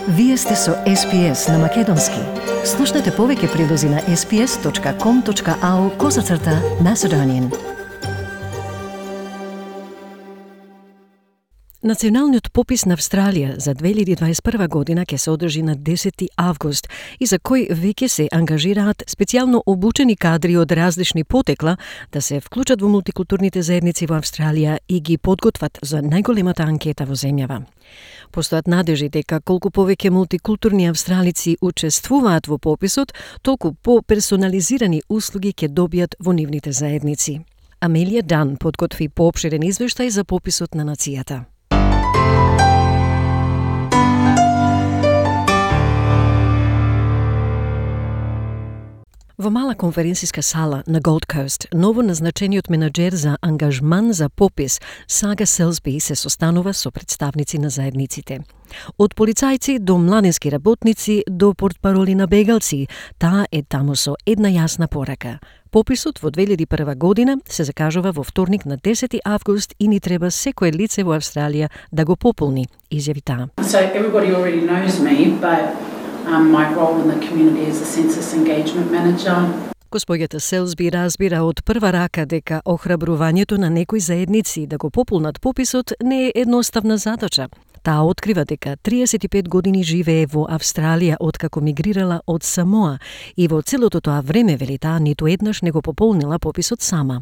Вие сте со SPS на Македонски. Слушнете повеќе прилози на sps.com.au/Macedonian. Националниот попис на Австралија за 2021 година ќе се одржи на 10 август и за кој веќе се ангажираат специјално обучени кадри од различни потекла да се вклучат во мултикултурните заедници во Австралија и ги подготват за најголемата анкета во земјава. Постојат надежи дека колку повеќе мултикултурни австралици учествуваат во пописот, толку по-персонализирани услуги ќе добијат во нивните заедници. Амелија Дан подготви поопширен извештај за пописот на нацијата. Во мала конференциска сала на Gold Coast, ново назначениот менаџер за ангажман за попис Сага Селсби се состанува со представници на заедниците. Од полицајци до младински работници до портпароли на бегалци, таа е таму со една јасна порака. Пописот во 2001 година се закажува во вторник на 10 август и ни треба секое лице во Австралија да го пополни, изјави таа. So everybody already knows me, but my role in the community is a census engagement manager. Госпоѓата Селсби разбира од прва рака дека охрабрувањето на некои заедници да го пополнат пописот не е едноставна задача. Таа открива дека 35 години живее во Австралија откако мигрирала од Самоа и во целото тоа време, вели таа, ниту еднаш не го пополнила пописот сама.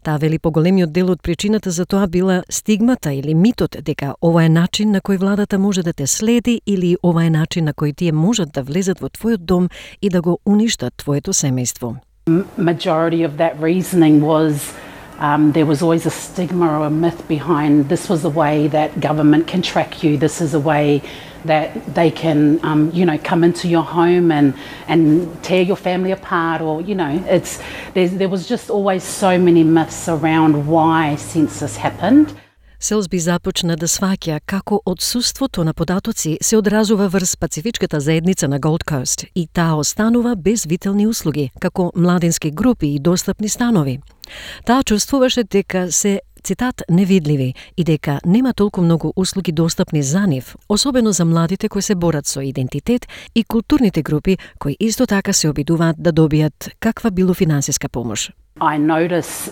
Таа вели поголемиот дел од причината за тоа била стигмата или митот дека ова е начин на кој владата може да те следи или ова е начин на кој тие можат да влезат во твојот дом и да го уништат твоето семејство. Majority of that reasoning was there was always a stigma or a myth behind this was a way that government can track you. This is a way that they can, come into your home and tear your family apart, or there was just always so many myths around why census happened. Селсби започна да сваќа како отсуството на податоци се одразува врз пацифичката заедница на Gold Coast и таа останува без витални услуги, како младински групи и достапни станови. Таа чувствуваше дека се, цитат, невидливи и дека нема толку многу услуги достапни за нив, особено за младите кои се борат со идентитет и културните групи кои исто така се обидуваат да добијат каква било финансиска помош. I notice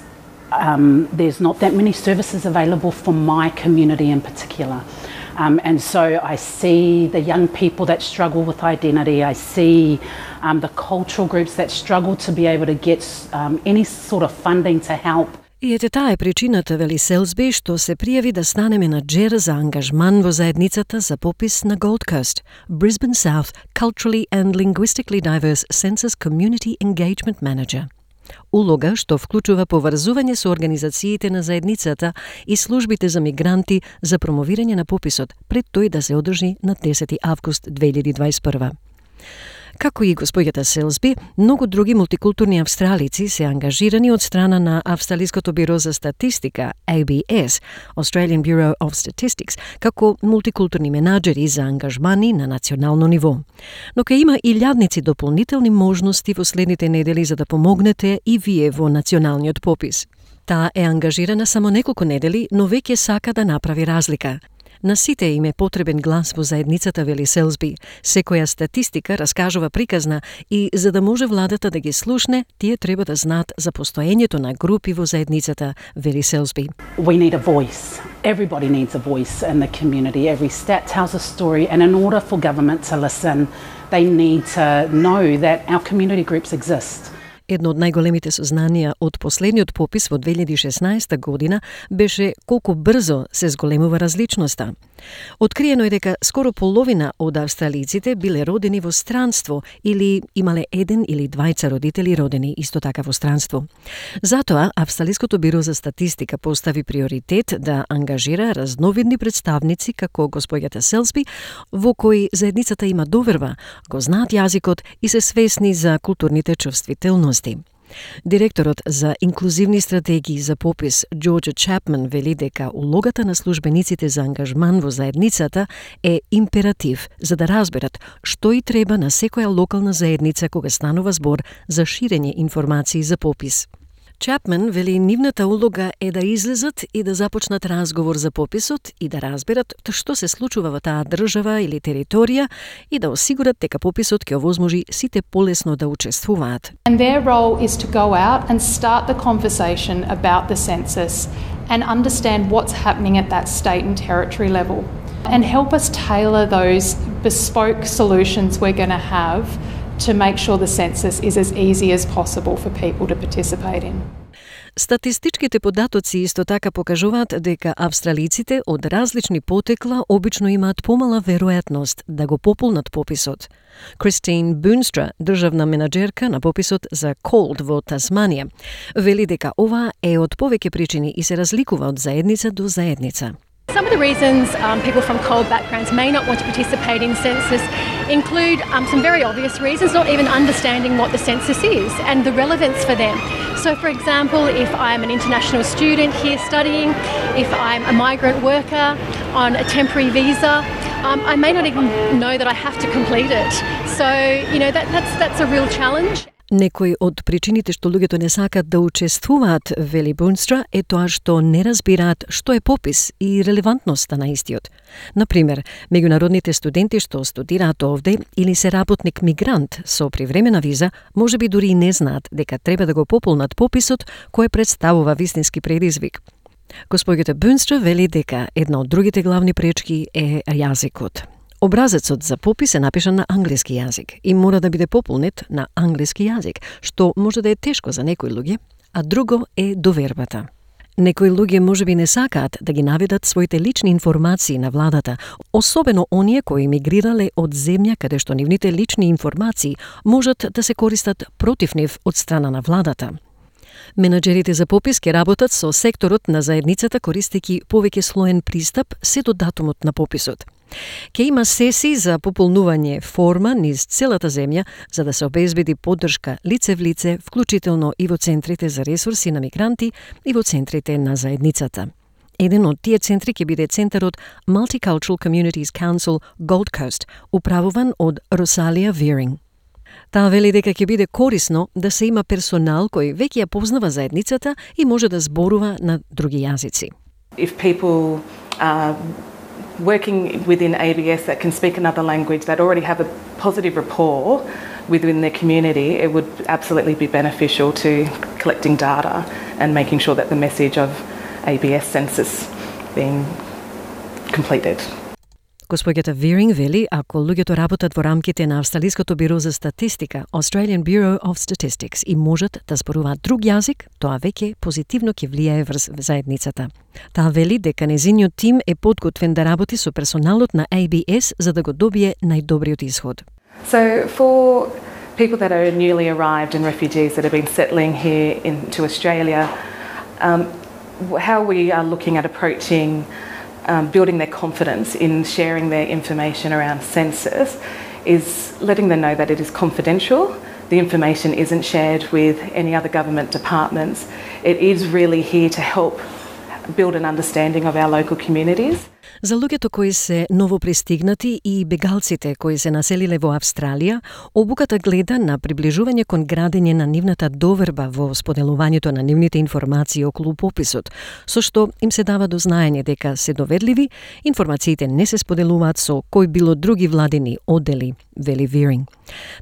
there's not that many services available for my community in particular. And so I see the young people that struggle with identity. I see the cultural groups that struggle to be able to get any sort of funding to help. И ете таа е причината, вели Селсби, што се пријави да стане менаџер за ангажман во заедницата за попис на Gold Coast, Brisbane South Culturally and Linguistically Diverse Census Community Engagement Manager. Улога што вклучува поврзување со организациите на заедницата и службите за мигранти за промовирање на пописот пред тој да се одржи на 10 август 2021. Како и госпоѓата Селсби, многу други мултикултурни австралици се ангажирани од страна на Австралиското биро за статистика, ABS, Australian Bureau of Statistics, како мултикултурни менаџери за ангажмани на национално ниво. Но ке има и илјадници дополнителни можности во следните недели за да помогнете и вие во националниот попис. Таа е ангажирана само неколку недели, но веќе сака да направи разлика. На сите им е потребен глас во заедницата, вели Селсби. Секоја статистика раскажува приказна и за да може владата да ги слушне, тие треба да знаат за постоењето на групи во заедницата, вели Селсби. We need a voice. Everybody needs a voice in the community. Every stat tells a story, and in order for government to listen, they need to know that our community groups exist. Едно од најголемите сознанија од последниот попис во 2016 година беше колку брзо се зголемува различноста. Откриено е дека скоро половина од австралиците биле родени во странство или имале еден или двајца родители родени исто така во странство. Затоа Австралиското биро за статистика постави приоритет да ангажира разновидни представници како госпоѓата Селсби, во кои заедницата има доверба, го знаат јазикот и се свесни за културните чувствителности. Директорот за инклузивни стратегии за попис Джорџа Чапман вели дека улогата на службениците за ангажман во заедницата е императив за да разберат што и треба на секоја локална заедница кога станува збор за ширење информации за попис. Чапман вели нивната улога е да излезат и да започнат разговор за пописот и да разберат што се случува во таа држава или територија и да осигурат дека пописот ќе овозможи сите полесно да учествуваат. And their role is to go out and start the conversation about the census and understand what's happening at that state and territory level and help us tailor those bespoke solutions we're going to have to make sure the census is as easy as possible for people to participate in. Статистичките податоци исто така покажуваат дека австралиците од различни потекла обично имаат помала веројатност да го пополнат пописот. Кристин Бунстра, државна менаџерка на пописот за Cold во Тасманија, вели дека ова е од повеќе причини и се разликува од заедница до заедница. Some of the reasons people from cold backgrounds may not want to participate in census include some very obvious reasons, not even understanding what the census is and the relevance for them. So, for example, if I'm an international student here studying, if I'm a migrant worker on a temporary visa, I may not even know that I have to complete it. So, that's a real challenge. Некои од причините што луѓето не сакат да учествуваат, вели Бунстра, е тоа што не разбираат што е попис и релевантноста на истиот. Например, меѓународните студенти што студираат овде или се работник мигрант со привремена виза, можеби дури и не знаат дека треба да го пополнат пописот кој представува вистински предизвик. Госпоѓата Бунстра вели дека една од другите главни пречки е јазикот. Образецот за попис е напишан на англиски јазик и мора да биде пополнет на англиски јазик, што може да е тешко за некои луѓе, а друго е довербата. Некои луѓе можеби не сакаат да ги наведат своите лични информации на владата, особено оние кои мигрирале од земја каде што нивните лични информации можат да се користат против нив од страна на владата. Менаџерите за попис ќе работат со секторот на заедницата користејќи повеќе слоен пристап се до датумот на пописот. Ке има сесии за пополнување форма низ целата земја за да се обезбеди поддршка лице в лице, вклучително и во центрите за ресурси на мигранти и во центрите на заедницата. Еден од тие центри ќе биде центарот Multicultural Communities Council Gold Coast, управуван од Росалија Виринг. Таа вели дека ќе биде корисно да се има персонал кој веќе ја познава заедницата и може да зборува на други јазици. If people are working within ABS that can speak another language, that already have a positive rapport within their community, it would absolutely be beneficial to collecting data and making sure that the message of ABS census being completed. Госпоѓата Виринг вели, ако луѓето работат во рамките на Австралиското биро за статистика, Australian Bureau of Statistics, и можат да зборуваат друг јазик, тоа веќе позитивно ќе влијае врз заедницата. Таа вели дека незиниот тим е подготвен да работи со персоналот на ABS за да го добие најдобриот исход. So for people that are newly arrived and refugees that have been settling here into Australia, how we are looking at approaching building their confidence in sharing their information around census is letting them know that it is confidential. The information isn't shared with any other government departments. It is really here to help build an understanding of our local communities. За луѓето кои се новопристигнати и бегалците кои се населиле во Австралија, обуката гледа на приближување кон градење на нивната доверба во споделувањето на нивните информации околу пописот, со што им се дава до знаење дека се доверливи, информациите не се споделуваат со кој било други владени оддели, вели Виринг.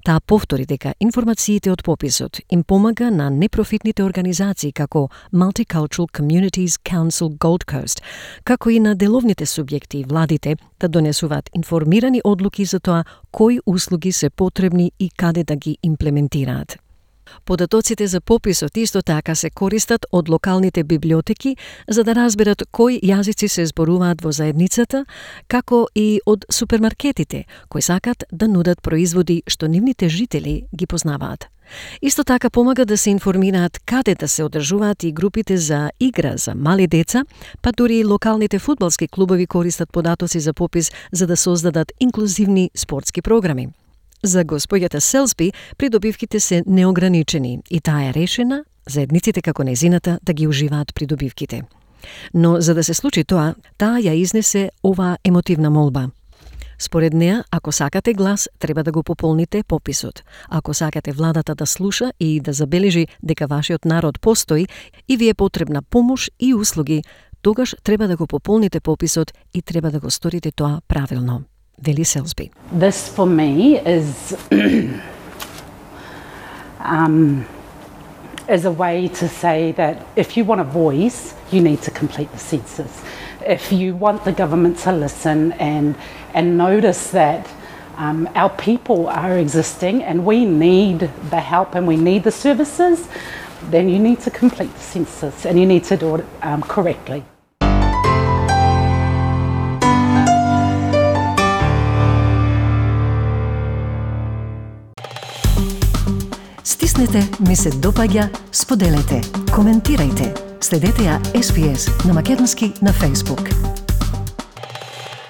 Таа повтори дека информациите од пописот им помага на непрофитните организации како Multicultural Communities Council Gold Coast, како и на деловните субјекти и владите да донесуваат информирани одлуки за тоа кои услуги се потребни и каде да ги имплементираат. Податоците за пописот исто така се користат од локалните библиотеки за да разберат кои јазици се зборуваат во заедницата, како и од супермаркетите кои сакат да нудат производи што нивните жители ги познаваат. Исто така помага да се информираат каде да се одржуваат и групите за игра за мали деца, па дури и локалните фудбалски клубови користат податоци за попис за да создадат инклузивни спортски програми. За госпоѓата Селсби придобивките се неограничени и таа е решена заедниците како незината да ги уживаат придобивките. Но за да се случи тоа, таа ја изнесе оваа емотивна молба. Според неа, ако сакате глас, треба да го пополните пописот. Ако сакате владата да слуша и да забележи дека вашиот народ постои и ви е потребна помош и услуги, тогаш треба да го пополните пописот и треба да го сторите тоа правилно, вели Селсби. This for me is is a way to say that if you want a voice, you need to complete the census. If you want the government to listen and notice that our people are existing and we need the help and we need the services, then you need to complete the census and you need to do it correctly. Стиснете, ми се допаѓа, споделете, коментирајте. Следете ја SPS на македонски на Facebook.